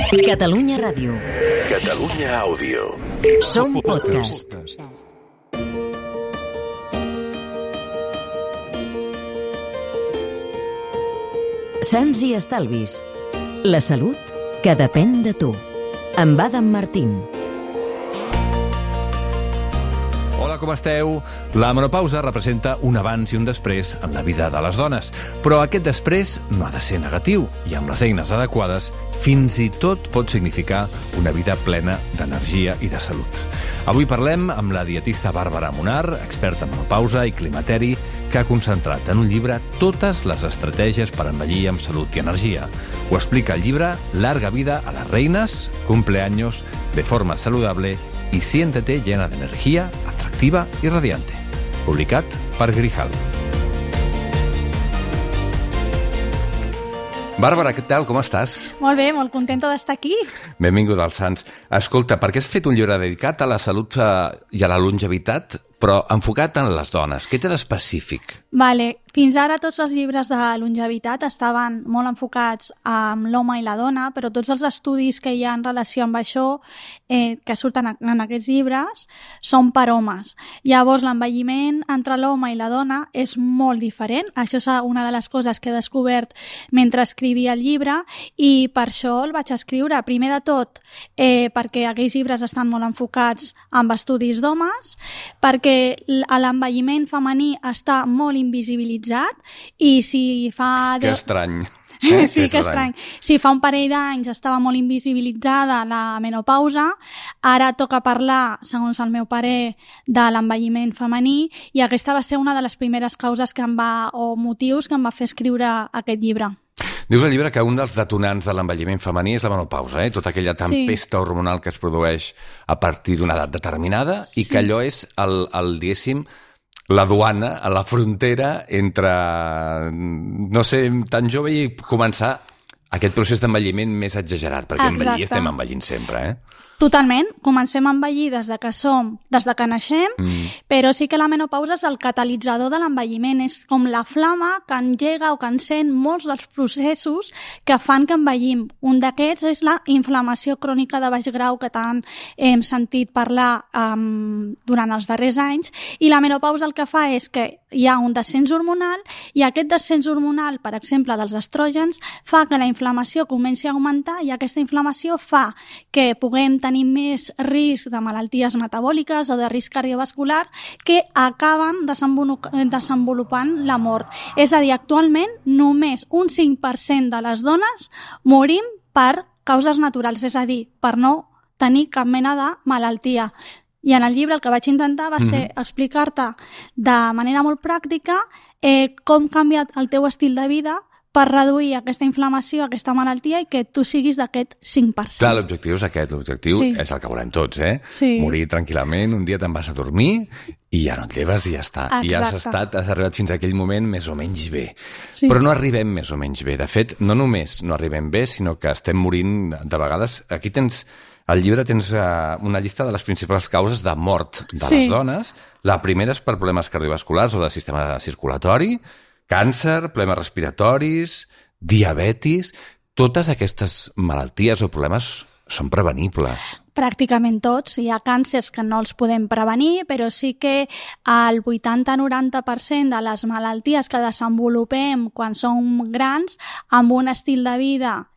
Catalunya Ràdio. Catalunya Àudio. Som podcast. Sants i estalvis. La salut que depèn de tu. Amb Adam Martín. Hola, com esteu? La menopausa representa un abans i un després en la vida de les dones, però aquest després no ha de ser negatiu i amb les eines adequades fins i tot pot significar una vida plena d'energia i de salut. Avui parlem amb la dietista Bàrbara Munar, experta en menopausa i climateri, que ha concentrat en un llibre totes les estratègies per envellir amb salut i energia. Ho explica el llibre Larga vida a las reinas, cumpleaños de forma saludable y siéntete llena de energía, atractiva y radiante. Publicat per Grijal. Bàrbara, què tal? Com estàs? Molt bé, molt contenta d'estar aquí. Benvinguda als Sants. Escolta, per què has fet un llibre dedicat a la salut i a la longevitat, però enfocat en les dones? Què té d'específic? Vale. Fins ara tots els llibres de longevitat estaven molt enfocats amb l'home i la dona, però tots els estudis que hi ha en relació amb això, que surten en aquests llibres, són per homes. Llavors, l'envelliment entre l'home i la dona és molt diferent. Això és una de les coses que he descobert mentre escrivia el llibre i per això el vaig escriure. Primer de tot, perquè aquells llibres estan molt enfocats amb estudis d'homes, perquè l'envelliment femení està molt invisibilitzat i si fa... Que estrany. Sí, que estrany. Si fa un parell d'anys estava molt invisibilitzada la menopausa, ara toca parlar, segons el meu parer, de l'envelliment femení i aquesta va ser una de les primeres causes o motius que em va fer escriure aquest llibre. Dius al llibre que un dels detonants de l'envelliment femení és la menopausa, tota aquella tempesta hormonal que es produeix a partir d'una edat determinada i que allò és diguéssim, la duana, a la frontera entre, no ser tan jove i començar aquest procés d'envelliment més exagerat, perquè envellir estem envellint sempre, Totalment. Comencem a envellir des de que naixem, però sí que la menopausa és el catalitzador de l'envelliment. És com la flama que engega o que encén molts dels processos que fan que envellim. Un d'aquests és la inflamació crònica de baix grau que tant hem sentit parlar durant els darrers anys, i la menopausa el que fa és que hi ha un descens hormonal i aquest descens hormonal, per exemple, dels estrògens, fa que la inflamació comenci a augmentar i aquesta inflamació fa que puguem tenir més risc de malalties metabòliques o de risc cardiovascular que acaben desenvolupant la mort. És a dir, actualment només un 5% de les dones morim per causes naturals, és a dir, per no tenir cap mena de malaltia. I en el llibre el que vaig intentar va ser explicar-te de manera molt pràctica com ha canviat el teu estil de vida per reduir aquesta inflamació, aquesta malaltia i que tu siguis d'aquest 5%. Clar, l'objectiu és aquest, l'objectiu és el que volem tots, Sí. Morir tranquil·lament, un dia te'n vas a dormir i ja no et lleves i ja està. Exacte. I has arribat fins a aquell moment més o menys bé. Sí. Però no arribem més o menys bé. De fet, no només no arribem bé, sinó que estem morint de vegades. Aquí al llibre tens una llista de les principals causes de mort de les dones. La primera és per problemes cardiovasculars o de sistema circulatori, càncer, problemes respiratoris, diabetis. Totes aquestes malalties o problemes són prevenibles. Pràcticament tots. Hi ha càncers que no els podem prevenir, però sí que el 80-90% de les malalties que desenvolupem quan som grans, amb un estil de vida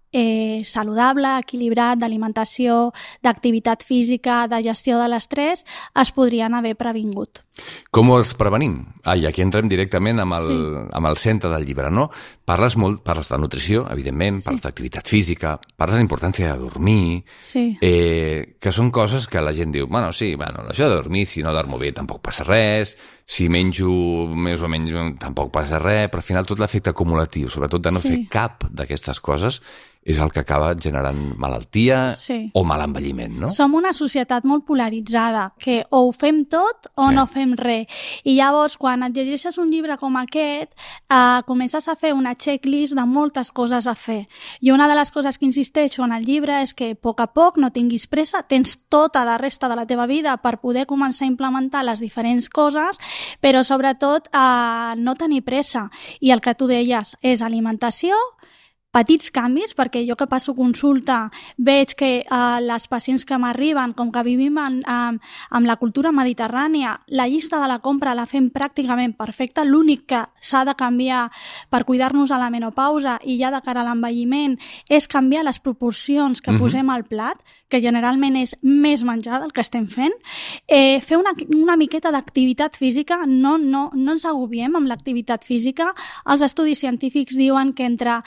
saludable, equilibrat, d'alimentació, d'activitat física, de gestió de l'estrès, es podrien haver previngut. Com els prevenim? I aquí entrem directament amb el centre del llibre, no? Parles de nutrició, evidentment, parles d'activitat física, parles de la importància de dormir, que són coses que la gent diu, això de dormir, si no dormo bé tampoc passa res, si menjo més o menys tampoc passa res, però al final tot l'efecte acumulatiu, sobretot de no fer cap d'aquestes coses, és el que acaba generant malaltia o mal envelliment, no? Som una societat molt polaritzada, que o ho fem tot o no fem res. I llavors, quan et llegeixes un llibre com aquest, comences a fer una checklist de moltes coses a fer. I una de les coses que insisteixo en el llibre és que a poc, no tinguis pressa, tens tota la resta de la teva vida per poder començar a implementar les diferents coses, però sobretot no tenir pressa. I el que tu deies és alimentació, petits canvis, perquè jo que passo consulta veig que les pacients que m'arriben, com que vivim amb la cultura mediterrània, la llista de la compra la fem pràcticament perfecta, l'únic que s'ha de canviar per cuidar-nos a la menopausa i ja de cara a l'envelliment és canviar les proporcions que posem al plat, que generalment és més menjar del que estem fent. Fer una miqueta d'activitat física, no ens agobiem amb l'activitat física. Els estudis científics diuen que entre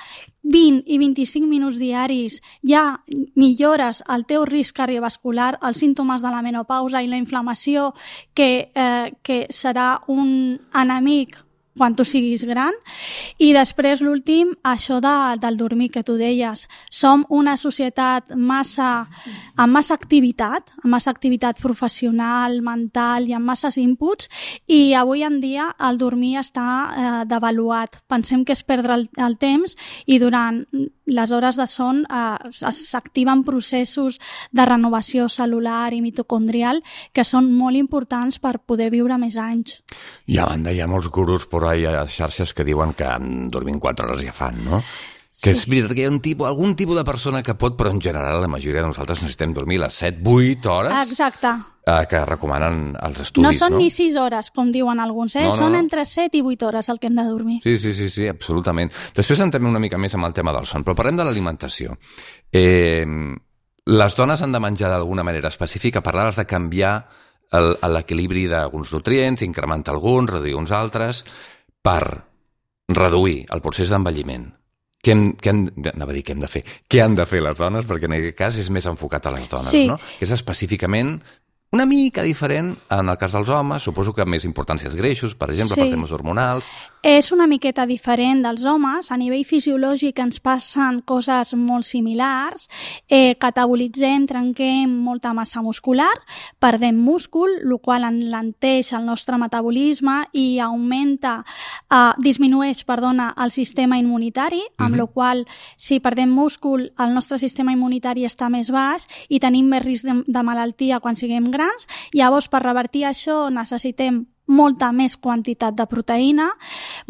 20 i 25 minuts diaris ja millores el teu risc cardiovascular, els símptomes de la menopausa i la inflamació, que serà un enemic quan tu siguis gran. I després l'últim, això del dormir que tu deies. Som una societat amb massa activitat professional, mental i amb masses inputs, i avui en dia el dormir està devaluat. Pensem que és perdre el temps, i durant les hores de son s'activen processos de renovació cel·lular i mitocondrial que són molt importants per poder viure més anys. I a banda hi ha molts gurus per ahí a les xarxes que diuen que dormint 4 hores ja fan, no? Que és veritat que hi ha algun tipus de persona que pot, però en general la majoria de nosaltres necessitem dormir les 7-8 hores. Exacte. Que recomanen els estudis, no? Són ni 6 hores, com diuen alguns, són entre 7 i 8 hores el que hem de dormir. Sí, absolutament. Després entrem una mica més amb el tema del son, però parlem de l'alimentació. Les dones han de menjar d'alguna manera específica, parlaves de canviar l'equilibri d'alguns nutrients, incrementar alguns, reduir uns altres, per reduir el procés d'envelliment. Què han de fer les dones? Perquè en aquest cas és més enfocat a les dones, no? Que és específicament una mica diferent en el cas dels homes, suposo que més importància als greixos, per exemple, per temes hormonals. És una miqueta diferent dels homes. A nivell fisiològic ens passen coses molt similars. Catabolitzem, trenquem molta massa muscular, perdem múscul, el qual enlenteix el nostre metabolisme i disminueix el sistema immunitari, amb la qual si perdem múscul el nostre sistema immunitari està més baix i tenim més risc de malaltia quan siguem grans. Llavors, per revertir això necessitem molta més quantitat de proteïna.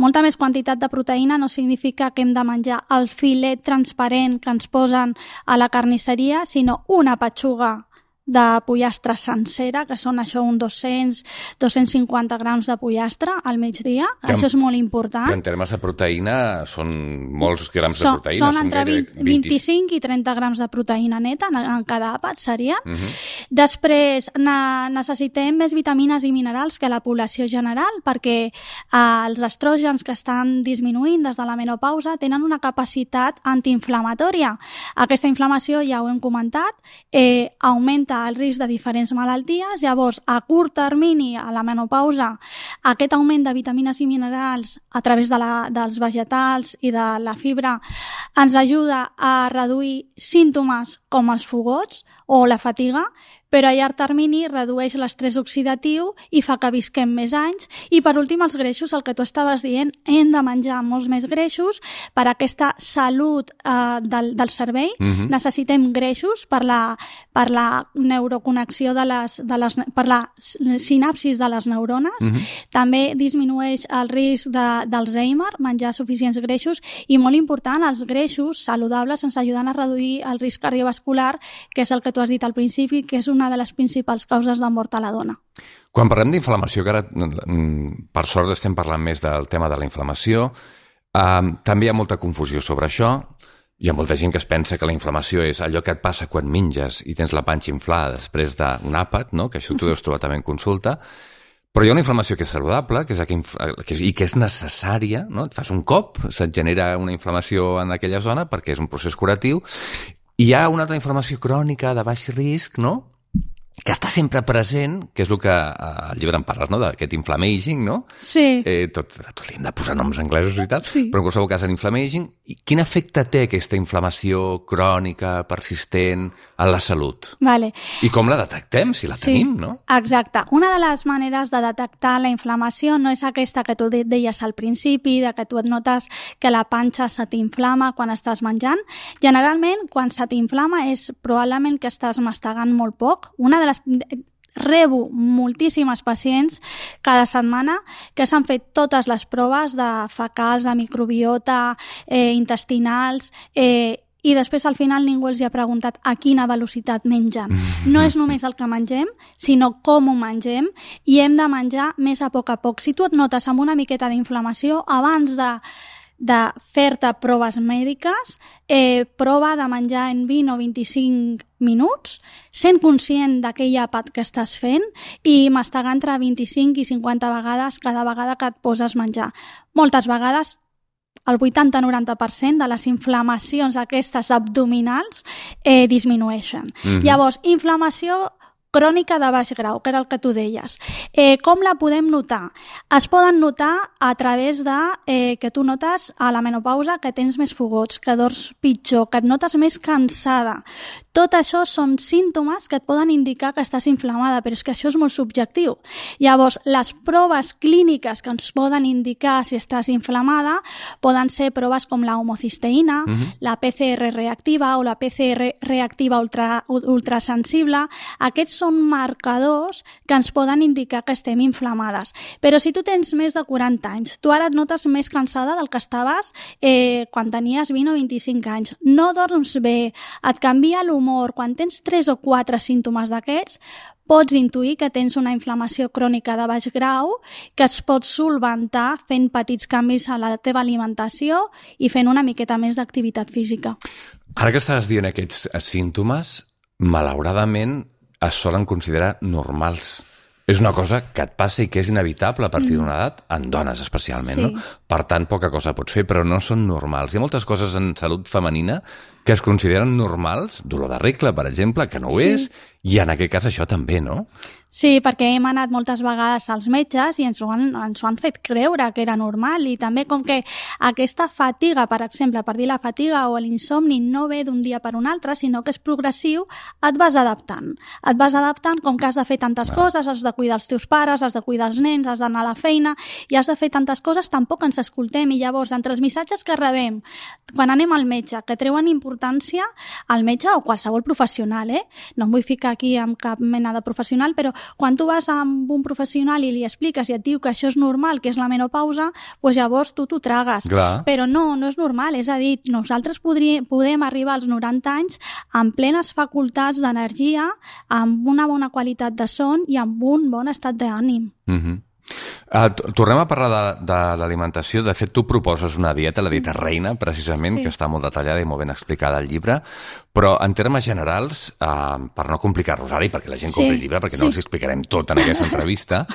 Molta més quantitat de proteïna no significa que hem de menjar el filet transparent que ens posen a la carnisseria, sinó una petxuga de pollastre sencera, que són això uns 200-250 grams de pollastre al migdia. Això és molt important. Que en termes de proteïna són molts grams de proteïna. Són entre 25 i 30 grams de proteïna neta en cada àpat, seria. Després necessitem més vitamines i minerals que la població general, perquè els estrògens que estan disminuint des de la menopausa tenen una capacitat antiinflamatòria. Aquesta inflamació, ja ho hem comentat, augmenta el risc de diferents malalties. Llavors, a curt termini, a la menopausa, aquest augment de vitamines i minerals a través dels vegetals i de la fibra ens ajuda a reduir símptomes com els fogots o la fatiga, però a llarg termini redueix l'estrès oxidatiu i fa que visquem més anys. I per últim, els greixos, el que tu estaves dient, hem de menjar molts més greixos per aquesta salut del cervell. Necessitem greixos per la neuroconnexió per la sinapsis de les neurones. També disminueix el risc d'Alzheimer, menjar suficients greixos, i molt important, els greixos saludables ens ajuden a reduir el risc cardiovascular, que és el que tu has dit al principi, que és una de les principals causes de mort a la dona. Quan parlem d'inflamació, que ara per sort estem parlant més del tema de la inflamació, també hi ha molta confusió sobre això. Hi ha molta gent que es pensa que la inflamació és allò que et passa quan menges i tens la panxa inflada després d'un àpat, no? Que això t'ho deus trobar també en consulta. Però hi ha una inflamació que és saludable i que és necessària, no? Et fas un cop, se't genera una inflamació en aquella zona perquè és un procés curatiu. Hi ha una altra inflamació crònica de baix risc, no?, que està sempre present, que és el que al llibre en parles, no?, d'aquest inflammaging, no? Sí. Tot li hem de posar noms anglesos i tal, però en qualsevol cas l'inflammaging. Quin efecte té aquesta inflamació crònica, persistent, en la salut? Vale. I com la detectem, si la tenim, no? Exacte. Una de les maneres de detectar la inflamació no és aquesta que tu deies al principi, de que tu et notes que la panxa se t'inflama quan estàs menjant. Generalment, quan se t'inflama és probablement que estàs mastegant molt poc. rebo moltíssimes pacients cada setmana que s'han fet totes les proves de fecals, de microbiota, intestinals, i després al final ningú els ha preguntat a quina velocitat mengen. No és només el que mengem, sinó com ho mengem, i hem de menjar més a poc. Si tu et notes amb una miqueta d'inflamació, abans de fer-te proves mèdiques, prova de menjar en 20 o 25 minuts, sent conscient d'aquell àpat que estàs fent i mastegar entre 25 i 50 vegades cada vegada que et poses menjar. Moltes vegades el 80-90% de les inflamacions aquestes abdominals disminueixen. Llavors, inflamació crònica de baix grau, que era el que tu deies. Com la podem notar? Es poden notar a través de que tu notes a la menopausa que tens més fogots, que dors pitjor, que et notes més cansada. Tot això són símptomes que et poden indicar que estàs inflamada, però és que això és molt subjectiu. Llavors, les proves clíniques que ens poden indicar si estàs inflamada poden ser proves com la homocisteïna, la PCR reactiva o la PCR reactiva ultrasensible. Aquests són marcadors que ens poden indicar que estem inflamades. Però si tu tens més de 40 anys, tu ara et notes més cansada del que estaves quan tenies 20 o 25 anys, no dorms bé, et canvia l'humor, quan tens 3 o 4 símptomes d'aquests, pots intuir que tens una inflamació crònica de baix grau que es pot solventar fent petits canvis a la teva alimentació i fent una miqueta més d'activitat física. Ara que estàs dient aquests símptomes, malauradament es solen considerar normals. És una cosa que et passa i que és inevitable a partir d'una edat, en dones especialment, no? Per tant, poca cosa pots fer, però no són normals. Hi ha moltes coses en salut femenina que es consideren normals, dolor de regla, per exemple, que no ho és, i en aquest cas això també, no? Sí, perquè hem anat moltes vegades als metges i ens ho han fet creure que era normal, i també com que aquesta fatiga, per exemple, per dir la fatiga o l'insomni no ve d'un dia per un altre, sinó que és progressiu, et vas adaptant. Et vas adaptant com que has de fer tantes coses, has de cuidar els teus pares, has de cuidar els nens, has d'anar a la feina i has de fer tantes coses, tampoc ens escoltem, i llavors entre els missatges que rebem quan anem al metge, que treuen importància al metge o qualsevol professional, no em vull ficar aquí amb cap mena de professional, però quan tu vas amb un professional i li expliques i et diu que això és normal, que és la menopausa, doncs llavors tu t'ho tragues. Clar. Però no és normal, és a dir, nosaltres podem arribar als 90 anys amb plenes facultats d'energia, amb una bona qualitat de son i amb un bon estat d'ànim. Tornem a parlar de l'alimentació. De fet, tu proposes una dieta, la dieta reina, precisament, que està molt detallada i molt ben explicada al llibre, però en termes generals, per no complicar-nos ara i perquè la gent compri el llibre, perquè no els explicarem tot en aquesta entrevista,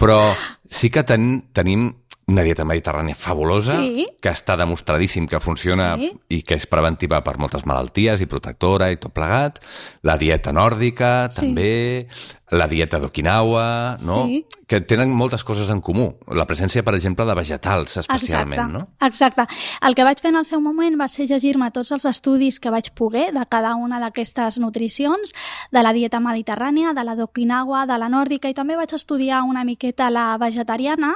però sí que tenim una dieta mediterrània fabulosa, que està demostradíssim que funciona i que és preventiva per moltes malalties i protectora i tot plegat. La dieta nòrdica, també. La dieta d'Okinawa, no? Que tenen moltes coses en comú. La presència, per exemple, de vegetals, especialment, no? Exacte. El que vaig fer en el seu moment va ser llegir-me tots els estudis que vaig poder de cada una d'aquestes nutricions, de la dieta mediterrània, de la d'Okinawa, de la nòrdica, i també vaig estudiar una miqueta la vegetariana,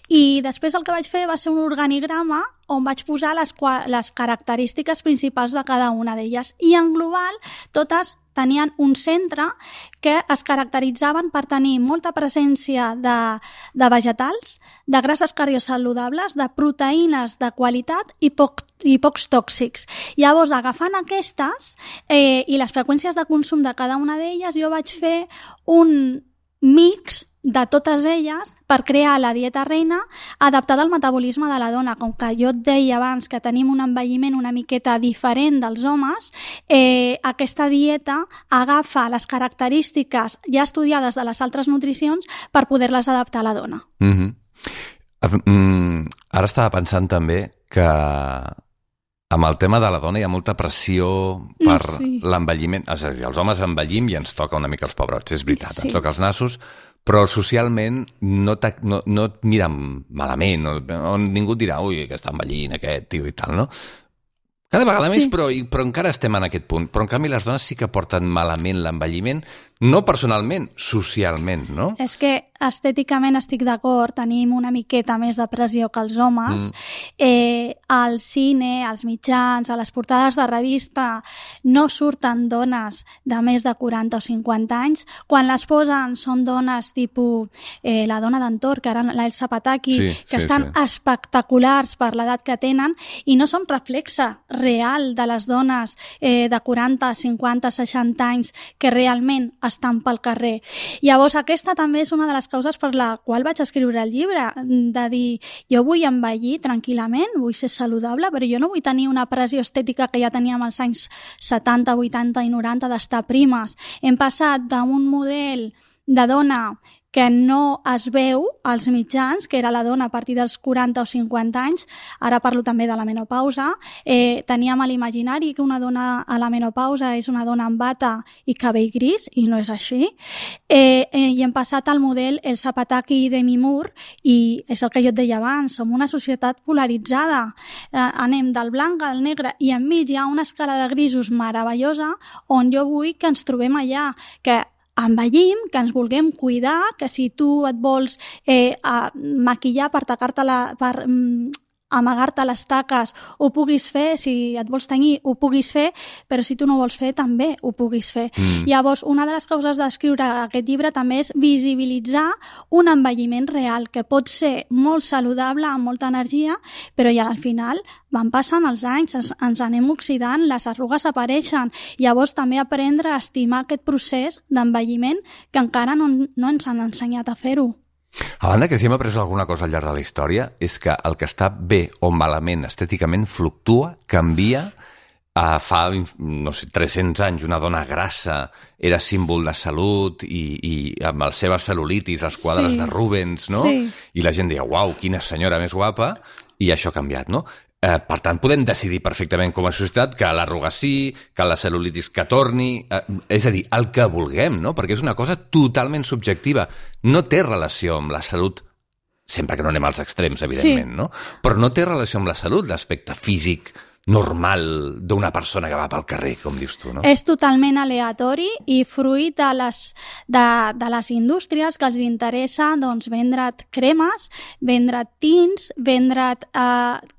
i després el que vaig fer va ser un organigrama on vaig posar les característiques principals de cada una d'elles. I en global, totes tenien un centre que es caracteritzaven per tenir molta presència de vegetals, de grasses cardiosaludables, de proteïnes de qualitat i pocs tòxics. Llavors, agafant aquestes i les freqüències de consum de cada una d'elles, jo vaig fer un mix de totes elles per crear la dieta reina adaptada al metabolisme de la dona. Com que jo et deia abans que tenim un envelliment una miqueta diferent dels homes, aquesta dieta agafa les característiques ja estudiades de les altres nutricions per poder-les adaptar a la dona. Ara estava pensant també que amb el tema de la dona hi ha molta pressió per l'envelliment. És a dir, els homes envellim i ens toca una mica els pebrots, és veritat, ens toca els nassos, però socialment no et miren malament, ningú et dirà, ui, que està envellint aquest tio i tal, no? Cada vegada més, però encara estem en aquest punt. Però en canvi les dones sí que porten malament l'envelliment, no personalment, socialment, no? És que estèticament estic d'acord, tenim una miqueta més de pressió que els homes. Al cine, als mitjans, a les portades de revista, no surten dones de més de 40 o 50 anys. Quan les posen són dones tipus la dona d'Entor, que ara l'Elsa Pataki, que estan espectaculars per l'edat que tenen i no són reflexe real de les dones de 40, 50, 60 anys que realment estan pel carrer. Llavors, aquesta també és una de les causes per la qual vaig escriure el llibre, de dir, jo vull envellir tranquil·lament, vull ser saludable, però jo no vull tenir una pressió estètica que ja teníem als anys 70, 80 i 90 d'estar primes. Hem passat d'un model de dona que no es veu als mitjans, que era la dona a partir dels 40 o 50 anys, ara parlo també de la menopausa. Teníem a l'imaginari que una dona a la menopausa és una dona amb bata i cabell gris, i no és així. I hem passat al model Elsa Pataki i Demi Moore, i és el que jo et deia abans, som una societat polaritzada. Anem del blanc al negre, i enmig hi ha una escala de grisos meravellosa on jo vull que ens trobem allà, que envellim, que ens vulguem cuidar, que si tu et vols maquillar per amagar-te les taques, ho puguis fer, si et vols tenyir, ho puguis fer, però si tu no vols fer, també ho puguis fer. Llavors, una de les causes d'escriure aquest llibre també és visibilitzar un envelliment real, que pot ser molt saludable, amb molta energia, però ja al final van passant els anys, ens anem oxidant, les arrugues apareixen. Llavors, també aprendre a estimar aquest procés d'envelliment que encara no ens han ensenyat a fer-ho. A banda que si hem après alguna cosa al llarg de la història és que el que està bé o malament estèticament fluctua, canvia. Fa, no sé, 300 anys una dona grassa era símbol de salut i amb les seves cel·lulitis, els quadres de Rubens, no? I la gent deia, uau, quina senyora més guapa, i això ha canviat, no? Per tant, podem decidir perfectament com a societat que l'arruga sí, que la cel·lulitis que torni, és a dir, el que vulguem, no? Perquè és una cosa totalment subjectiva. No té relació amb la salut, sempre que no anem als extrems, evidentment, no? Però no té relació amb la salut, l'aspecte físic normal d'una persona que va pel carrer, com dius tu, no? És totalment aleatori i fruit de les indústries que els interessa vendre't cremes, vendre't tints, vendre't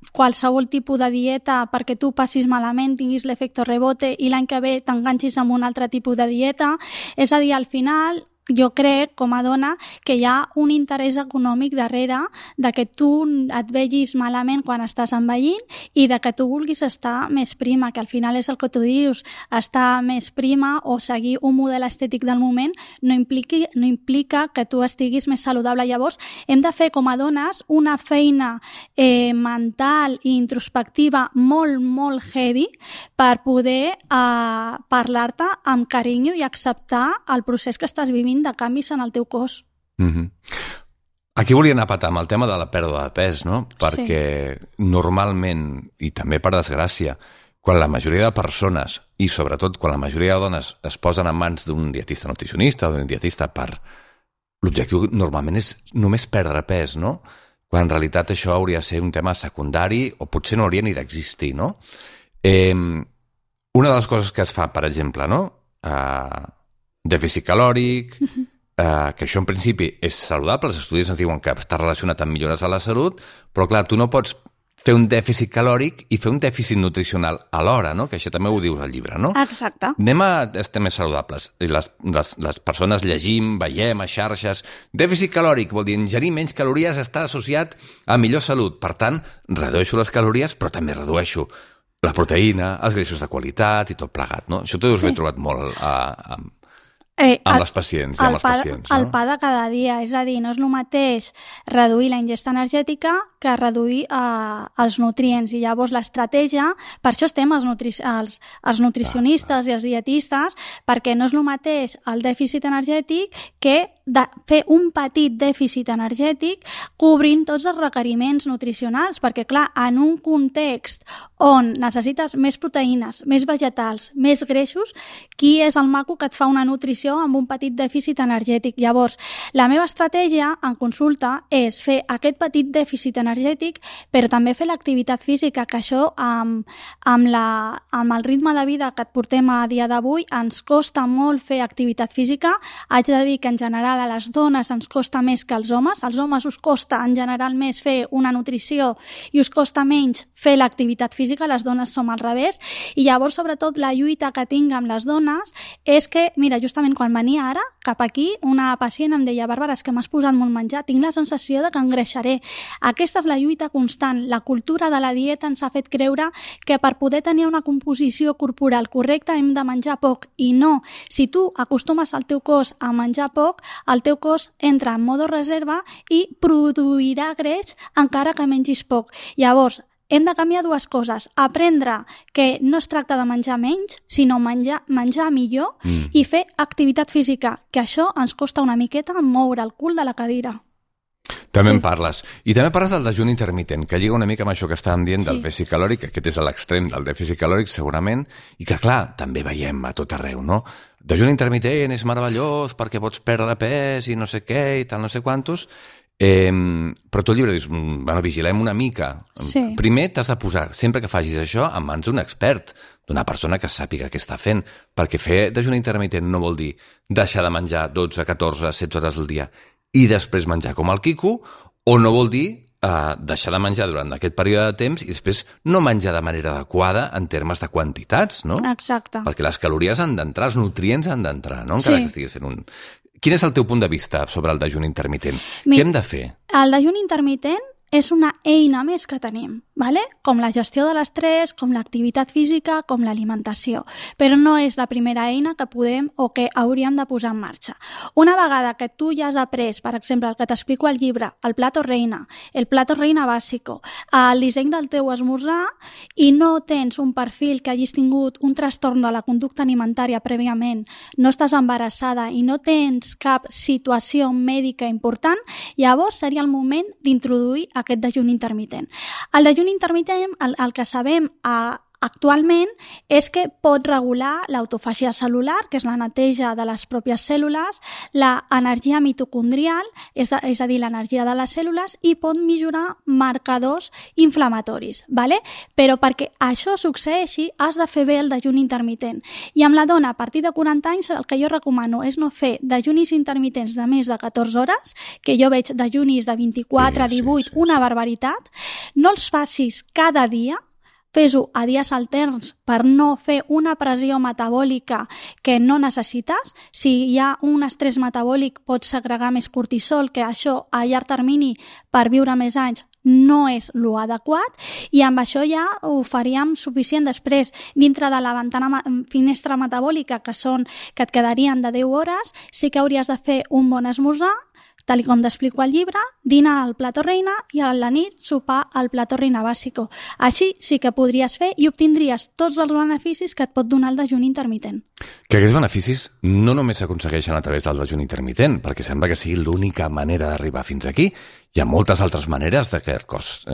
qualsevol tipus de dieta perquè tu passis malament, tinguis l'efecte rebote i l'any que ve t'enganxis amb un altre tipus de dieta. És a dir, al final, jo crec, com a dona, que hi ha un interès econòmic darrere de que tu et vegis malament quan estàs envellint i de que tu vulguis estar més prima, que al final és el que tu dius, estar més prima o seguir un model estètic del moment no implica que tu estiguis més saludable. Llavors, hem de fer com a dones una feina mental i introspectiva molt, molt heavy per poder parlar-te amb carinyo i acceptar el procés que estàs vivint de canvis en el teu cos. Aquí volia anar a patar amb el tema de la pèrdua de pes, no? Perquè normalment, i també per desgràcia, quan la majoria de persones, i sobretot quan la majoria de dones es posen en mans d'un dietista nutricionista o d'un dietista l'objectiu normalment és només perdre pes, no? Quan en realitat això hauria de ser un tema secundari o potser no hauria ni d'existir, no? Una de les coses que es fa, per exemple, no? Dèficit calòric, que això en principi és saludable, els estudis ens diuen que està relacionat amb millores de la salut, però clar, tu no pots fer un dèficit calòric i fer un dèficit nutricional alhora, no? Que això també ho dius al llibre, no? Exacte. Anem a estar més saludables. I les persones llegim, veiem a xarxes. Dèficit calòric vol dir ingerir menys calories està associat a millor salut. Per tant, redueixo les calories, però també redueixo la proteïna, els greixos de qualitat i tot plegat, no? Això t'ho deus haver trobat molt amb les pacients i amb els pacients, no? El pa de cada dia, és a dir, no és el mateix reduir la ingesta energètica que reduir els nutrients, i llavors l'estratègia, per això estem els nutricionistes i els dietistes, perquè no és el mateix el dèficit energètic que fer un petit dèficit energètic cobrint tots els requeriments nutricionals, perquè clar, en un context on necessites més proteïnes, més vegetals, més greixos, qui és el maco que et fa una nutrició nutrició amb un petit dèficit energètic. Llavors, la meva estratègia en consulta és fer aquest petit dèficit energètic, però també fer l'activitat física, que això amb el ritme de vida que et portem a dia d'avui ens costa molt fer activitat física. Haig de dir que en general a les dones ens costa més que als homes. Als homes us costa en general més fer una nutrició i us costa menys fer l'activitat física, les dones som al revés. I llavors, sobretot, la lluita que tinc amb les dones és que, mira, justament quan venia ara cap aquí, una pacient em deia: Bàrbara, és que m'has posat molt menjar, tinc la sensació de que engreixaré. Aquesta és la lluita constant. La cultura de la dieta ens ha fet creure que per poder tenir una composició corporal correcta hem de menjar poc, i no. Si tu acostumes al teu cos a menjar poc, el teu cos entra en modo reserva i produirà greix encara que mengis poc. Llavors, hem de canviar dues coses: aprendre que no es tracta de menjar menys, sinó menjar millor, i fer activitat física, que això ens costa una miqueta moure el cul de la cadira. També en parles. I també parles del dejuni intermitent, que lliga una mica amb això que estàvem dient del dèficit calòric, que aquest és l'extrem del dèficit calòric, segurament, i que, clar, també veiem a tot arreu, no? Dejuni intermitent és meravellós perquè pots perdre pes i no sé què i tal, no sé quantos. Però tu al llibre dius, bueno, vigilem una mica. Sí. Primer t'has de posar, sempre que facis això, en mans d'un expert, d'una persona que sàpiga què està fent, perquè fer dejuni intermitent no vol dir deixar de menjar 12, 14, 16 hores al dia i després menjar com el quico, o no vol dir deixar de menjar durant aquest període de temps i després no menjar de manera adequada en termes de quantitats, no? Exacte. Perquè les calories han d'entrar, els nutrients han d'entrar, no? Encara que estiguis fent un... Quin és el teu punt de vista sobre el dejuni intermitent? Què hem de fer? El dejuni intermitent és una eina més que tenim, ¿vale? Com la gestió de l'estrès, com l'activitat física, com l'alimentació. Però no és la primera eina que podem o que hauríem de posar en marxa. Una vegada que tu ja has après, per exemple, el que t'explico al llibre, el plato reina bàsico, el disseny del teu esmorzar, i no tens un perfil que hagis tingut un trastorn de la conducta alimentària prèviament, no estàs embarassada i no tens cap situació mèdica important, llavors seria el moment d'introduir aquest dejuni intermitent. El dejuni intermitent, el que sabem actualment és que pot regular l'autofàgia cel·lular, que és la neteja de les pròpies cèl·lules, l'energia mitocondrial, és a dir, l'energia de les cèl·lules, i pot millorar marcadors inflamatoris, ¿vale? Però perquè això succeeixi has de fer bé el dejuni intermitent. I amb la dona a partir de 40 anys el que jo recomano és no fer dejunis intermitents de més de 14 hores, que jo veig dejunis de 24, 18, una barbaritat. No els facis cada dia, fes-ho a dies alterns per no fer una pressió metabòlica que no necessites. Si hi ha un estrès metabòlic pots segregar més cortisol, que això a llarg termini per viure més anys no és lo adequat, i amb això ja ho faríem suficient. Després, dintre de la finestra metabòlica, que et quedarien de 10 hores, sí que hauries de fer un bon esmorzar, tal com t'explico al llibre, dinar al plato reina i a la nit sopar al plato reina bàsico. Així sí que podries fer i obtindries tots els beneficis que et pot donar el dejuni intermitent. Que aquests beneficis no només s'aconsegueixen a través del dejuni intermitent, perquè sembla que sigui l'única manera d'arribar fins aquí. Hi ha moltes altres maneres de que el cos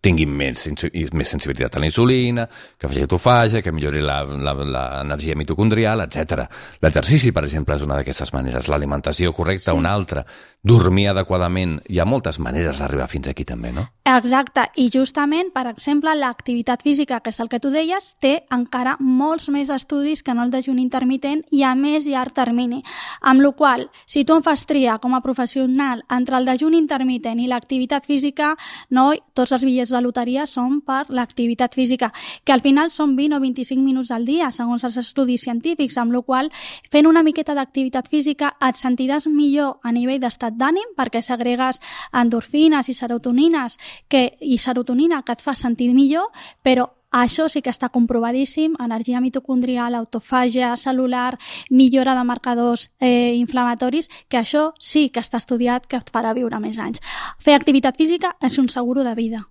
tingui més sensibilitat a la insulina, que faci autofàgia, que millori l'energia mitocondrial, etc. L'exercici, per exemple, és una d'aquestes maneres. L'alimentació correcta, una altra. Dormir adequadament. Hi ha moltes maneres d'arribar fins aquí també, no? Exacte. I justament, per exemple, l'activitat física, que és el que tu deies, té encara molts més estudis que no el dejuni intermitent i a més llarg termini. Amb la qual cosa, si tu em fas triar com a professional entre el dejuni intermitent i l'activitat física, no, tots els bitllets de loteria són per l'activitat física, que al final són 20 o 25 minuts al dia, segons els estudis científics, amb la qual cosa, fent una miqueta d'activitat física et sentiràs millor a nivell d'estat d'ànim, perquè segregues endorfines i serotonina que et fa sentir millor, però això sí que està comprovadíssim: energia mitocondrial, autofàgia cel·lular, millora de marcadors inflamatoris, que això sí que està estudiat, que et farà viure més anys. Fer activitat física és un seguro de vida.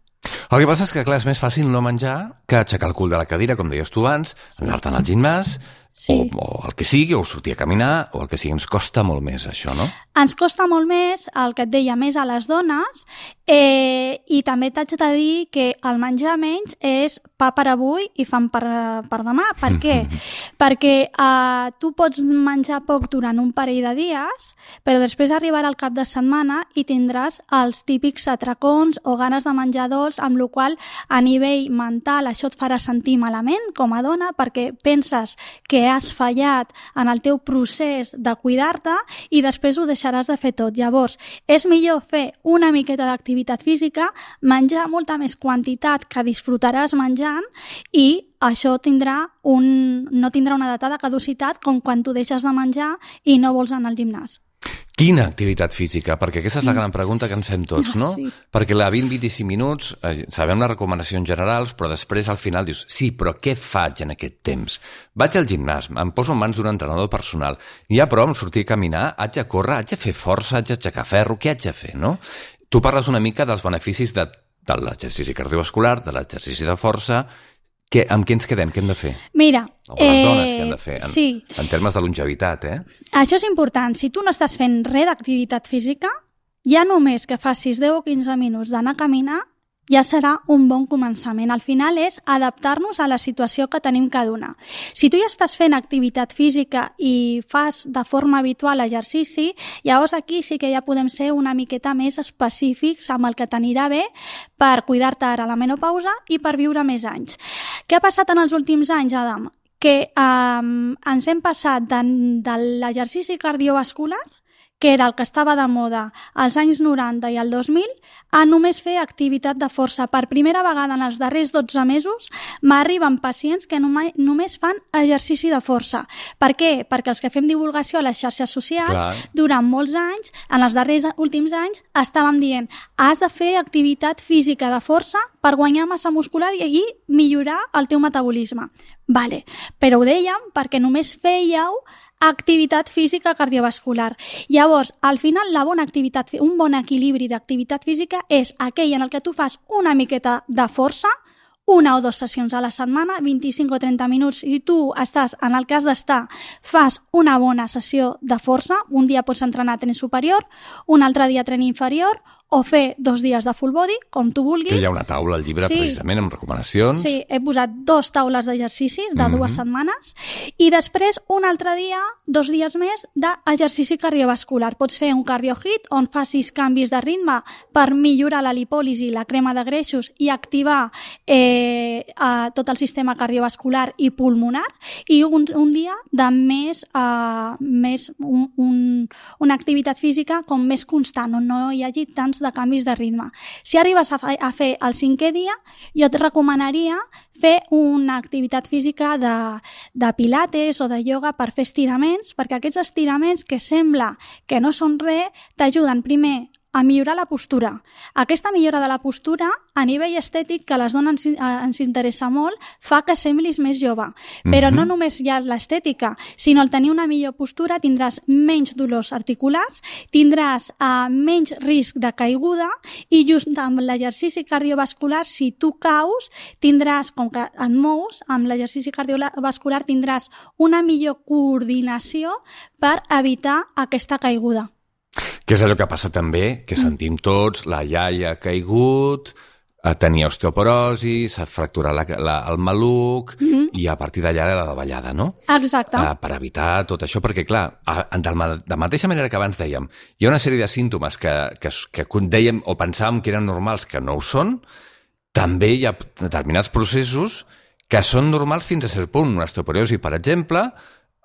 El que passa és que, clar, és més fàcil no menjar que aixecar el cul de la cadira, com deies tu abans, anar-te'n al gimnàs, o el que sigui, o sortir a caminar, o el que sigui. Ens costa molt més, això, no? Ens costa molt més, el que et deia, més a les dones, i també t'haig de dir que el menjar menys és pa per avui i fam per demà. Per què? Perquè tu pots menjar poc durant un parell de dies, però després arribarà el cap de setmana i tindràs els típics atracons o ganes de menjar dolç, amb la qual a nivell mental això et farà sentir malament com a dona, perquè penses que has fallat en el teu procés de cuidar-te i després ho deixaràs de fer tot. Llavors, és millor fer una miqueta d'activitat física, menjar molta més quantitat que disfrutaràs menjant i això no tindrà una data de caducitat com quan tu deixes de menjar i no vols anar al gimnàs. Quina activitat física? Perquè aquesta és la gran pregunta que ens fem tots, no? Sí. Perquè la 20-25 minuts, sabem les recomanacions generals, però després al final dius, sí, però què faig en aquest temps? Vaig al gimnàs, em poso en mans d'un entrenador personal, i ja prou amb sortir a caminar, haig de córrer, haig de fer força, haig d'aixecar ferro, què haig de fer, no? Tu parles una mica dels beneficis de l'exercici cardiovascular, de l'exercici de força. Amb què ens quedem? Què hem de fer? Mira, o les dones què hem de fer? Sí. En termes de longevitat, Això és important. Si tu no estàs fent res d'activitat física, ja només que facis 10 o 15 minuts d'anar a caminar, ja serà un bon començament. Al final és adaptar-nos a la situació que tenim cada una. Si tu ja estàs fent activitat física i fas de forma habitual exercici, llavors aquí sí que ja podem ser una miqueta més específics amb el que t'anirà bé per cuidar-te ara a la menopausa i per viure més anys. Què ha passat en els últims anys, Adam? Que ens hem passat de l'exercici cardiovascular, que era el que estava de moda als anys 90 i al 2000, a només fer activitat de força. Per primera vegada en els darrers 12 mesos m'arriben pacients que només fan exercici de força. Per què? Perquè els que fem divulgació a les xarxes socials, durant molts anys, en els darrers últims anys, estàvem dient has de fer activitat física de força per guanyar massa muscular i millorar el teu metabolisme. Vale, però ho dèiem perquè només fèieu activitat física cardiovascular. Llavors, al final, un bon equilibri d'activitat física és aquell en el que tu fas una miqueta de força, 1 o 2 sessions a la setmana, 25 o 30 minuts, i tu estàs, en el cas d'estar, fas una bona sessió de força, un dia pots entrenar tren superior, un altre dia tren inferior, o fer 2 dies de full body, com tu vulguis. Que hi ha una taula al llibre, precisament, amb recomanacions. Sí, he posat 2 taules d'exercicis de 2 setmanes, i després un altre dia, 2 dies més, d'exercici cardiovascular. Pots fer un cardio hit, on facis canvis de ritme per millorar la lipòlisi, la crema de greixos, i activar tot el sistema cardiovascular i pulmonar, i un dia de una activitat física com més constant, on no hi hagi tants de canvis de ritme. Si arribes a fer el 5è dia, jo et recomanaria fer una activitat física de pilates o de ioga per fer estiraments, perquè aquests estiraments que sembla que no són res, t'ajuden primer a millorar la postura. Aquesta millora de la postura, a nivell estètic, que a les dones ens interessa molt, fa que semblis més jove. Però no només hi ha l'estètica, sinó al tenir una millor postura tindràs menys dolors articulars, tindràs menys risc de caiguda, i just amb l'exercici cardiovascular, si tu caus, tindràs, com que et mous, amb l'exercici cardiovascular tindràs una millor coordinació per evitar aquesta caiguda. Que és allò que passa també, que sentim tots, la iaia ha caigut, tenia osteoporosi, s'ha fracturat el maluc, i a partir d'allà era la davallada, no? Exacte. Per evitar tot això, perquè clar, de mateixa manera que abans dèiem, hi ha una sèrie de símptomes que dèiem o pensàvem que eren normals, que no ho són, també hi ha determinats processos que són normals fins a cert punt. Una osteoporosi, per exemple,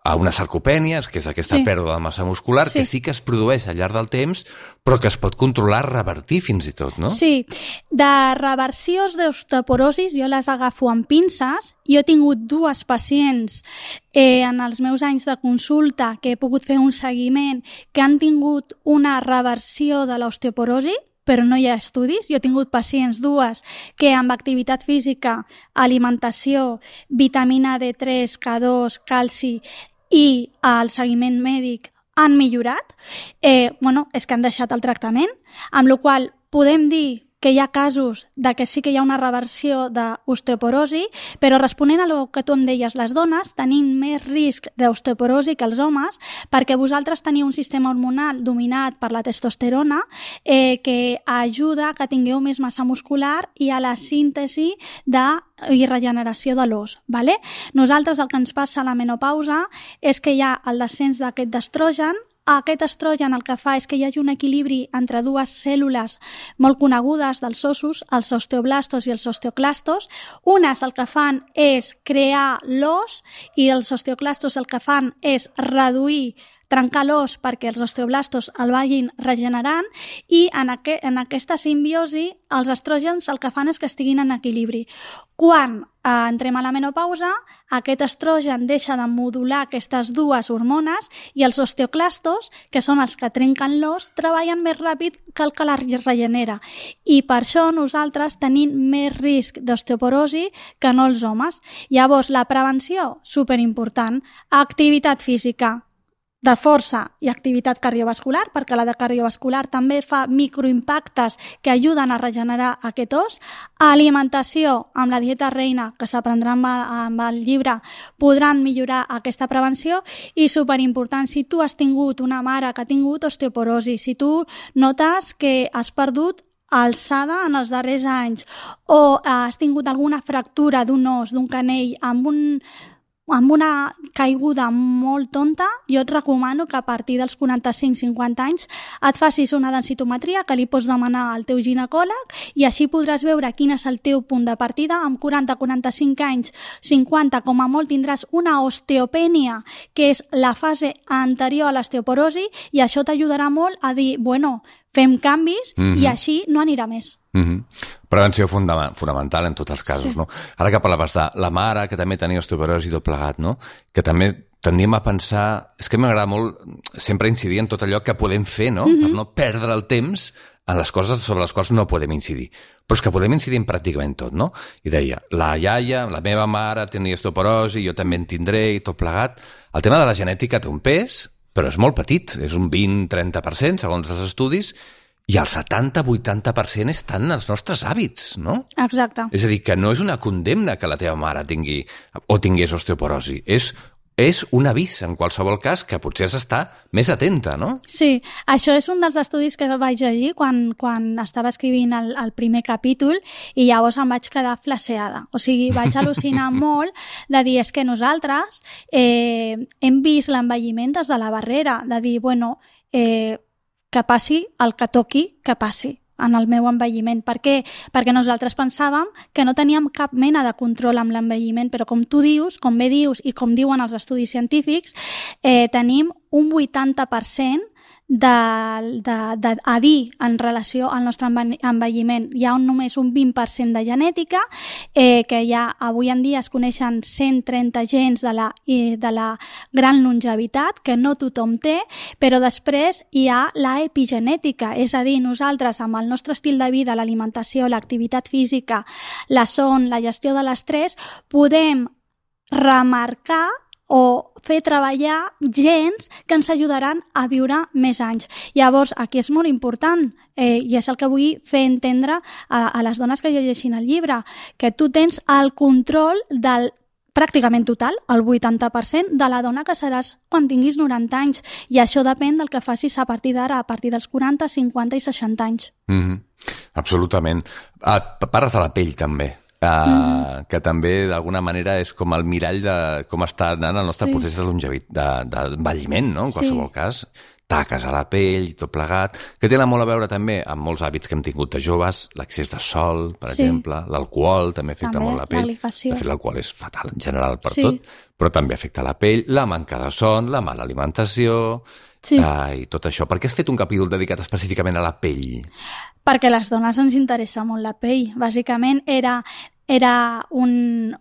a una sarcopènia, que és aquesta pèrdua de massa muscular, que sí que es produeix al llarg del temps, però que es pot controlar, revertir fins i tot, no? Sí. De reversions d'osteoporosis jo les agafo amb pinces. Jo he tingut 2 pacients en els meus anys de consulta que he pogut fer un seguiment que han tingut una reversió de l'osteoporosi, però no hi ha estudis. Jo he tingut pacients 2 que amb activitat física, alimentació, vitamina D3, K2, calci i el seguiment mèdic han millorat. És que han deixat el tractament, amb la qual podem dir que hi ha casos de que sí que hi ha una reversió d'osteoporosi, però responent a el que tu em deies, les dones tenim més risc d'osteoporosi que els homes perquè vosaltres teniu un sistema hormonal dominat per la testosterona que ajuda que tingueu més massa muscular i a la síntesi i regeneració de l'os. Vale? Nosaltres el que ens passa a la menopausa és que hi ha el descens d'aquest estrogen. Aquest estrogen el que fa és que hi hagi un equilibri entre dues cèl·lules molt conegudes dels ossos, els osteoblastos i els osteoclastos. Unes el que fan és crear l'os i els osteoclastos el que fan és reduir, trencar l'os perquè els osteoblastos el vagin regenerant i en aquesta simbiosi els estrògens el que fan és que estiguin en equilibri. Quan entrem a la menopausa, aquest estrogen deixa de modular aquestes dues hormones i els osteoclastos, que són els que trenquen l'os, treballen més ràpid que el que la regenera. I per això nosaltres tenim més risc d'osteoporosi que no els homes. Llavors, la prevenció, superimportant, activitat física, de força i activitat cardiovascular, perquè la de cardiovascular també fa microimpactes que ajuden a regenerar aquest os. Alimentació, amb la dieta reina, que s'aprendrà amb el llibre, podran millorar aquesta prevenció i superimportant, si tu has tingut una mare que ha tingut osteoporosi, si tu notes que has perdut alçada en els darrers anys o has tingut alguna fractura d'un os, d'un canell, amb una caiguda molt tonta, jo et recomano que a partir dels 45-50 anys et facis una densitometria que li pots demanar al teu ginecòleg i així podràs veure quin és el teu punt de partida. Amb 40-45 anys, 50 com a molt, tindràs una osteopènia, que és la fase anterior a l'osteoporosi, i això t'ajudarà molt a dir, bueno, fem canvis i així no anirà més. Prevenció fonamental en tots els casos, no? Ara que parlaves de la mare, que també tenia osteoporosi i tot plegat, no? Que també tendim a pensar... És que m'agrada molt sempre incidir en tot allò que podem fer, no? Per no perdre el temps en les coses sobre les quals no podem incidir. Però és que podem incidir en pràcticament tot, no? I deia, la iaia, la meva mare tenia osteoporosi, jo també en tindré i tot plegat. El tema de la genètica té un pes, però és molt petit, és un 20-30%, segons els estudis, i el 70-80% estan en els nostres hàbits, no? Exacte. És a dir, que no és una condemna que la teva mare tingui o tingués osteoporosi, és un avís, en qualsevol cas, que potser has d'estar més atenta, no? Sí, això és un dels estudis que vaig llegir quan estava escrivint el primer capítol i llavors em vaig quedar flaseada. O sigui, vaig al·lucinar molt de dir, és que nosaltres hem vist l'envelliment des de la barrera, de dir, bueno, que passi el que toqui que passi en el meu envelliment. Per què? Perquè nosaltres pensàvem que no teníem cap mena de control amb l'envelliment, però com tu dius, com bé dius i com diuen els estudis científics, tenim un 80% a dir en relació al nostre envelliment. Hi ha només un 20% de genètica, que ja avui en dia es coneixen 130 gens de la gran longevitat, que no tothom té, però després hi ha la epigenètica, és a dir, nosaltres amb el nostre estil de vida, l'alimentació, l'activitat física, la son, la gestió de l'estrès, podem remarcar o fer treballar gens que ens ajudaran a viure més anys. Llavors, aquí és molt important, i és el que vull fer entendre a les dones que llegeixin el llibre, que tu tens el control del pràcticament total, el 80% de la dona que seràs quan tinguis 90 anys, i això depèn del que facis a partir d'ara, a partir dels 40, 50 i 60 anys. Absolutament. Parles de la pell, també. Que també d'alguna manera és com el mirall de com està anant el nostre procés d'envelliment, no? En qualsevol cas, taques a la pell i tot plegat, que tenen molt a veure també amb molts hàbits que hem tingut de joves, l'accés de sol, per exemple, l'alcohol també afecta molt la pell. De fet, l'alcohol és fatal en general per tot, però també afecta la pell, la manca de son, la mala alimentació i tot això. Per què has fet un capítol dedicat específicament a la pell? Perquè a les dones ens interessa molt la pell. Bàsicament era un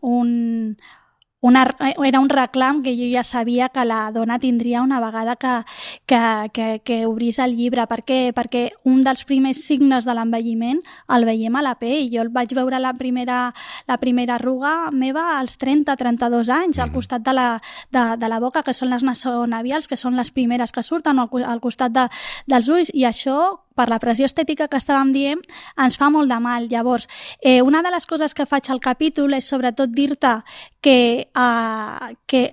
reclam que jo ja sabia que la dona tindria una vegada que que obrís el llibre. Per què? Perquè un dels primers signes de l'envelliment el veiem a la pell. Jo el vaig veure la primera arruga meva als 30-32 anys, al costat de la boca, que són les nasonavials, que són les primeres que surten, al costat dels ulls, i això, per la pressió estètica que estàvem dient, ens fa molt de mal. Llavors, una de les coses que faig al capítol és sobretot dir-te que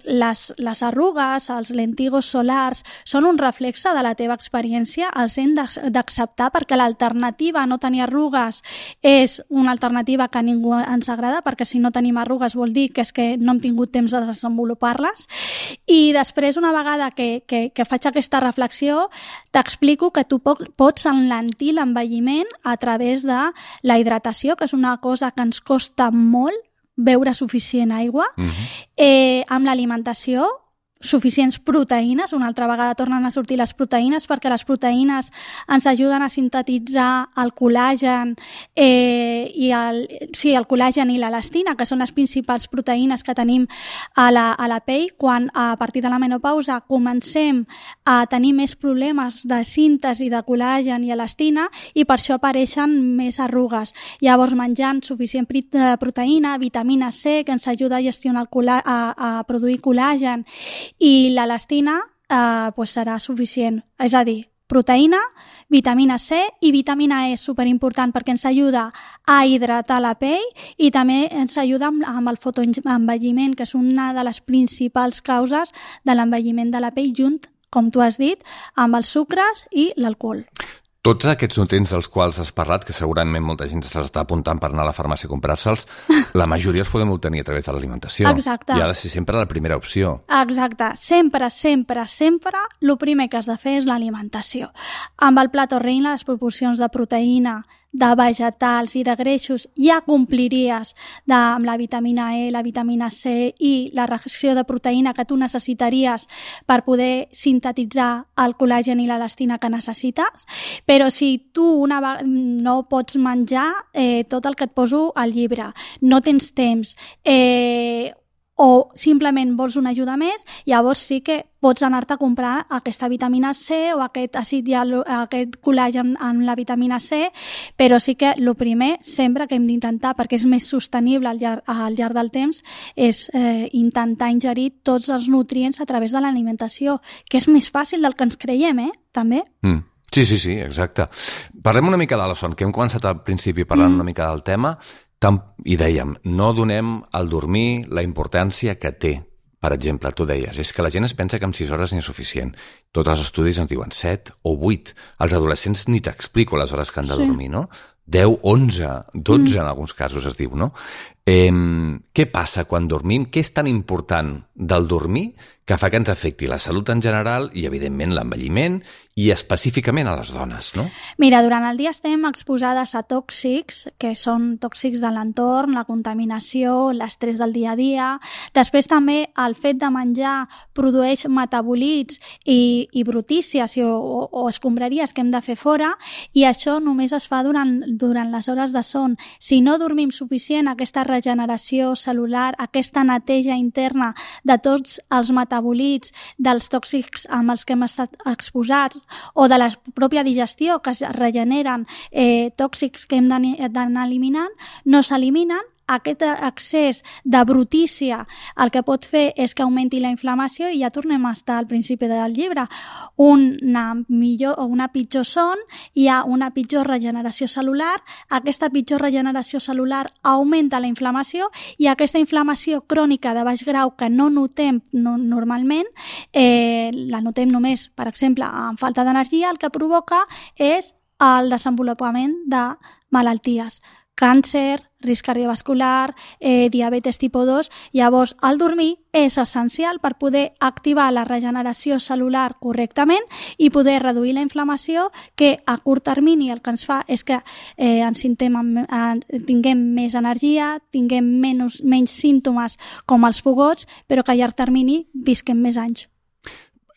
les arrugues, els lentigos solars, són un reflexe de la teva experiència, els hem d'acceptar, perquè l'alternativa a no tenir arrugues és una alternativa que a ningú ens agrada, perquè si no tenim arrugues vol dir que és que no hem tingut temps de desenvolupar-les. I després, una vegada que faig aquesta reflexió, t'explico que tu pots enlentir l'envelliment a través de la hidratació, que és una cosa que ens costa molt, beure suficient aigua, amb l'alimentació, suficients proteïnes, una altra vegada tornen a sortir les proteïnes, perquè les proteïnes ens ajuden a sintetitzar el col·làgen el col·làgen i l'elastina, que són les principals proteïnes que tenim a la pell. Quan a partir de la menopausa comencem a tenir més problemes de síntesi de col·làgen i elastina, i per això apareixen més arrugues. Llavors, menjant suficient proteïna, vitamina C, que ens ajuda a gestionar a produir col·làgen, i l'elastina serà suficient. És a dir, proteïna, vitamina C i vitamina E, superimportant, perquè ens ajuda a hidratar la pell i també ens ajuda amb el fotoenvelliment, que és una de les principals causes de l'envelliment de la pell, junt, com tu has dit, amb els sucres i l'alcohol. Tots aquests nutrients dels quals has parlat, que segurament molta gent s'està apuntant per anar a la farmàcia a comprar-se'ls, la majoria els podem obtenir a través de l'alimentació. Exacte. I ha de ser sempre la primera opció. Exacte. Sempre, el primer que has de fer és l'alimentació. Amb el plat Orrein, les proporcions de proteïna, de vegetals i de greixos ja compliries amb la vitamina E, la vitamina C i la reacció de proteïna que tu necessitaries per poder sintetitzar el col·làgen i l'elastina que necessites. Però si tu no pots menjar tot el que et poso al llibre, no tens temps, o simplement vols una ajuda més, llavors sí que pots anar-te a comprar aquesta vitamina C o aquest col·làgen amb la vitamina C, però sí que el primer, sempre que hem d'intentar, perquè és més sostenible al llarg del temps, és intentar ingerir tots els nutrients a través de l'alimentació, que és més fàcil del que ens creiem, també. Sí, exacte. Parlem una mica de la son, que hem començat al principi parlant una mica del tema, i dèiem, no donem al dormir la importància que té. Per exemple, tu deies, és que la gent es pensa que amb 6 hores n'hi és suficient. Tots els estudis ens diuen 7 o 8. Els adolescents ni t'explico les hores que han de dormir, no? 10, 11, 12 en alguns casos es diu, no? Què passa quan dormim? Què és tan important del dormir que fa que ens afecti la salut en general i, evidentment, l'envelliment i específicament a les dones, no? Mira, durant el dia estem exposades a tòxics, que són tòxics de l'entorn, la contaminació, l'estrès del dia a dia. Després també el fet de menjar produeix metabolits i brutícies o escombraries que hem de fer fora, i això només es fa durant les hores de son. Si no dormim suficient, aquesta regeneració celular, aquesta neteja interna de tots els metabolits dels tòxics amb els que hem estat exposats, o de la pròpia digestió, que es regeneren tòxics que hem d'anar eliminant, no s'eliminen. Aquest excés de brutícia el que pot fer és que augmenti la inflamació, i ja tornem a estar al principi del llibre. Una pitjor son, hi ha una pitjor regeneració celular, aquesta pitjor regeneració celular augmenta la inflamació, i aquesta inflamació crònica de baix grau que no notem normalment, la notem només, per exemple, amb falta d'energia, el que provoca és el desenvolupament de malalties. Càncer, risc cardiovascular, diabetes tipus 2. Llavors, el dormir és essencial per poder activar la regeneració celular correctament i poder reduir la inflamació, que a curt termini el que ens fa és que tinguem més energia, tinguem menys símptomes com els fogots, però que a llarg termini visquem més anys.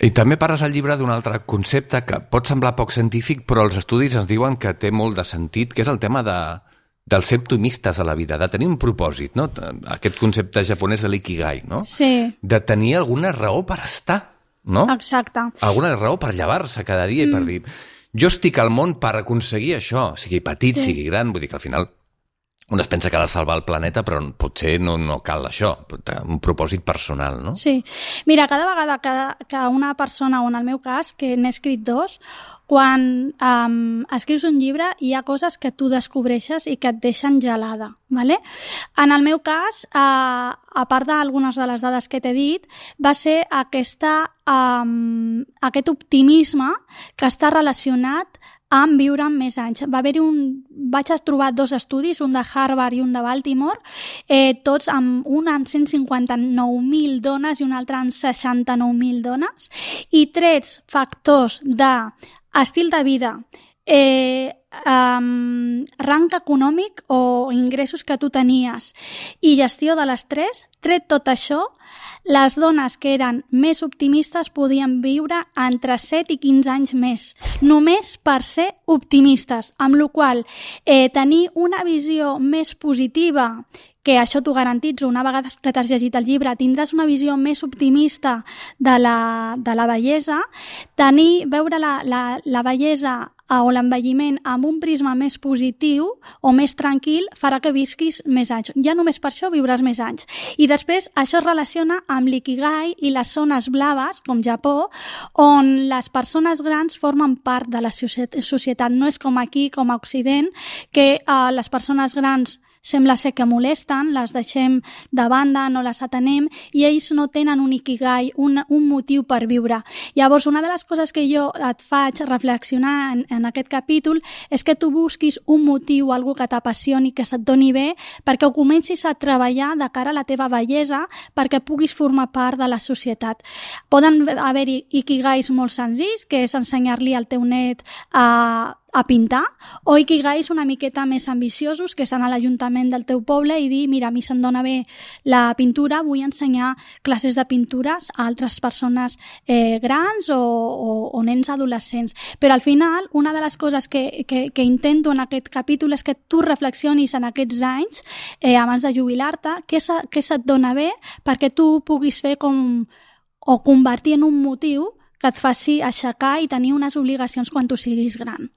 I també parles al llibre d'un altre concepte que pot semblar poc científic, però els estudis ens diuen que té molt de sentit, que és el tema dels ser optimistes a la vida, de tenir un propòsit, no? Aquest concepte japonès de l'ikigai, no? Sí. De tenir alguna raó per estar. no? Exacte. Alguna raó per llevar-se cada dia i per dir jo estic al món per aconseguir això, sigui petit, sigui gran, vull dir que al final un es pensa que ha de salvar el planeta, però potser no cal això, un propòsit personal, no? Sí. Mira, cada vegada que una persona, o en el meu cas, que n'he escrit 2, quan escrius un llibre hi ha coses que tu descobreixes i que et deixen gelada, ¿vale? En el meu cas, a part d'algunes de les dades que t'he dit, va ser aquest optimisme que està relacionat amb viure més anys. Vaig trobar 2 estudis, un de Harvard i un de Baltimore, tots amb un en 159.000 dones i un altre en 69.000 dones, i trets factors d'estil de vida, rang econòmic o ingressos que tu tenies i gestió de l'estrès, tret tot això, les dones que eren més optimistes podien viure entre 7 i 15 anys més, només per ser optimistes, amb la qual cosa tenir una visió més positiva, que això t'ho garantitzo, una vegada que t'has llegit el llibre, tindràs una visió més optimista de la bellesa, veure la bellesa o l'envelliment amb un prisma més positiu o més tranquil farà que visquis més anys. Ja només per això viuràs més anys. I després això es relaciona amb l'ikigai i les zones blaves, com Japó, on les persones grans formen part de la societat. No és com aquí, com a Occident, que les persones grans sembla ser que molesten, les deixem de banda, no les atenem i ells no tenen un ikigai, un motiu per viure. Llavors, una de les coses que jo et faig reflexionar en aquest capítol és que tu busquis un motiu, algú que t'apassioni, que se't doni bé, perquè ho comencis a treballar de cara a la teva bellesa, perquè puguis formar part de la societat. Poden haver-hi ikigais molt senzills, que és ensenyar-li al teu net a pintar, o ikigais una miqueta més ambiciosos, que és anar a l'Ajuntament del teu poble i dir, mira, a mi se'm dona bé la pintura, vull ensenyar classes de pintures a altres persones grans o nens adolescents. Però al final, una de les coses que intento en aquest capítol és que tu reflexionis en aquests anys, abans de jubilar-te, què se't dona bé perquè tu puguis fer o convertir en un motiu que et faci aixecar i tenir unes obligacions quan tu siguis gran.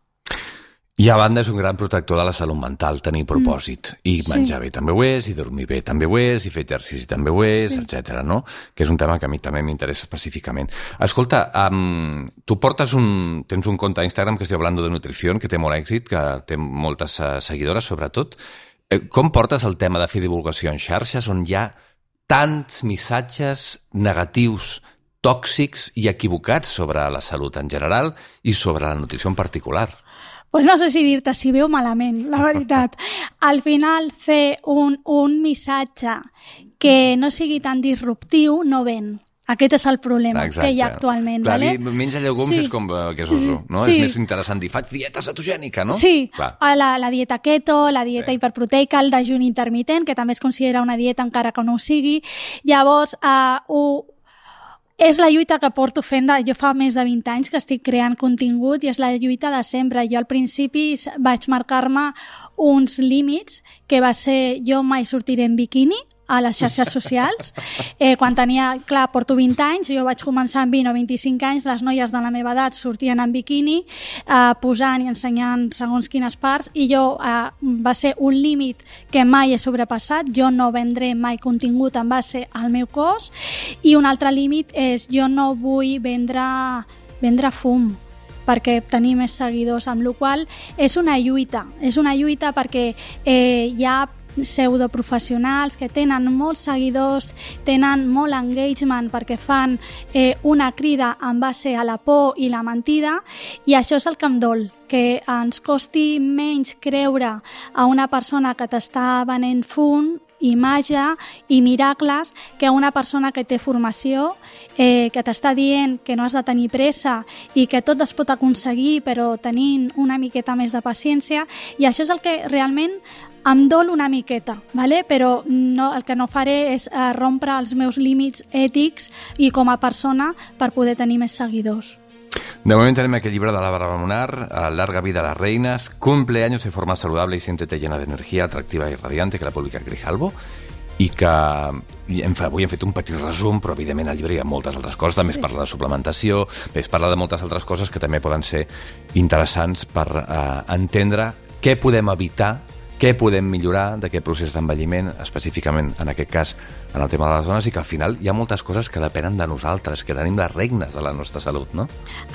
I a banda és un gran protector de la salut mental, tenir propòsit. I menjar bé també ho és, i dormir bé també ho és, i fer exercici també ho és, etc. no? Que és un tema que a mi també m'interessa específicament. Escolta, tu tens un compte a Instagram que es diu Hablando de Nutrición, que té molt èxit, que té moltes seguidores, sobretot. Com portes el tema de fer divulgació en xarxes on hi ha tants missatges negatius, tòxics i equivocats sobre la salut en general i sobre la nutrició en particular? Pues no sé si dir-te si bé o malament, la veritat. Al final, fer un missatge que no sigui tan disruptiu no ven. Aquest és el problema que hi ha actualment. Clar, ¿vale? Menja llegums és com que és oso, no? Sí. És més interessant dir, faig dieta cetogènica, no? Sí, la dieta keto, la dieta hiperproteica, el dejuni intermitent, que també es considera una dieta encara que no ho sigui. Llavors, és la lluita que porto fent, jo fa més de 20 anys que estic creant contingut i és la lluita de sempre. Jo al principi vaig marcar-me uns límits que va ser jo mai sortiré en biquini a les xarxes socials. Quan tenia, clar, porto 20 anys, jo vaig començar amb 20 o 25 anys, les noies de la meva edat sortien en biquini, posant i ensenyant segons quines parts, i jo va ser un límit que mai he sobrepassat. Jo no vendré mai contingut en base al meu cos, i un altre límit és jo no vull vendre fum perquè tenir més seguidors, amb la qual cosa és una lluita perquè hi ha pseudoprofessionals que tenen molts seguidors, tenen molt engagement perquè fan una crida en base a la por i la mentida, i això és el que em dol, que ens costi menys creure a una persona que t'està venent fum i màgia i miracles que una persona que té formació, que t'està dient que no has de tenir pressa i que tot es pot aconseguir però tenint una miqueta més de paciència, i això és el que realment em dol una miqueta, ¿vale? Però el que no faré és rompre els meus límits ètics i com a persona per poder tenir més seguidors. De momento tenemos aquí el libro de la Bárbara Munar, Larga vida a las reinas, cumple años de forma saludable y siéntete llena de energía, atractiva y radiante, que la publica Grijalbo. i que avui hem fet un petit resum, però evidentment al llibre hi ha moltes altres coses, també es parla de suplementació, es parla de moltes altres coses que també poden ser interessants per entendre què podem evitar, què podem millorar d'aquest procés d'envelliment, específicament en aquest cas en el tema de les dones, i que al final hi ha moltes coses que depenen de nosaltres, que tenim les regnes de la nostra salut, no?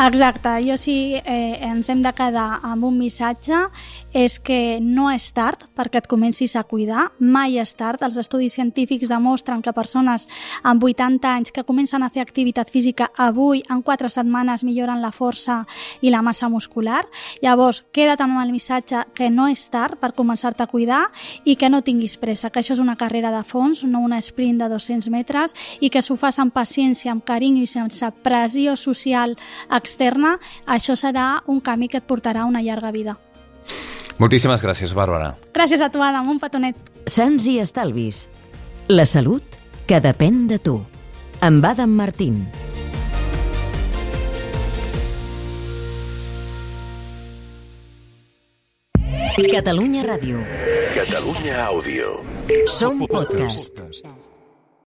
Exacte, jo sí ens hem de quedar amb un missatge, és que no és tard perquè et comencis a cuidar, mai és tard. Els estudis científics demostren que persones amb 80 anys que comencen a fer activitat física avui, en 4 setmanes, milloren la força i la massa muscular. Llavors, queda't amb el missatge que no és tard per començar a cuidar i que no tinguis pressa, que això és una carrera de fons, no una sprint de 200 metres, i que s'ho fas amb paciència, amb carinyo i sense pressió social externa, això serà un camí que et portarà a una llarga vida. Moltíssimes gràcies, Bàrbara. Gràcies a tu, Adam, un petonet. Sants i estalvis. La salut que depèn de tu. Amb Adam Martín. Catalunya Ràdio. Catalunya Àudio. Som podcast.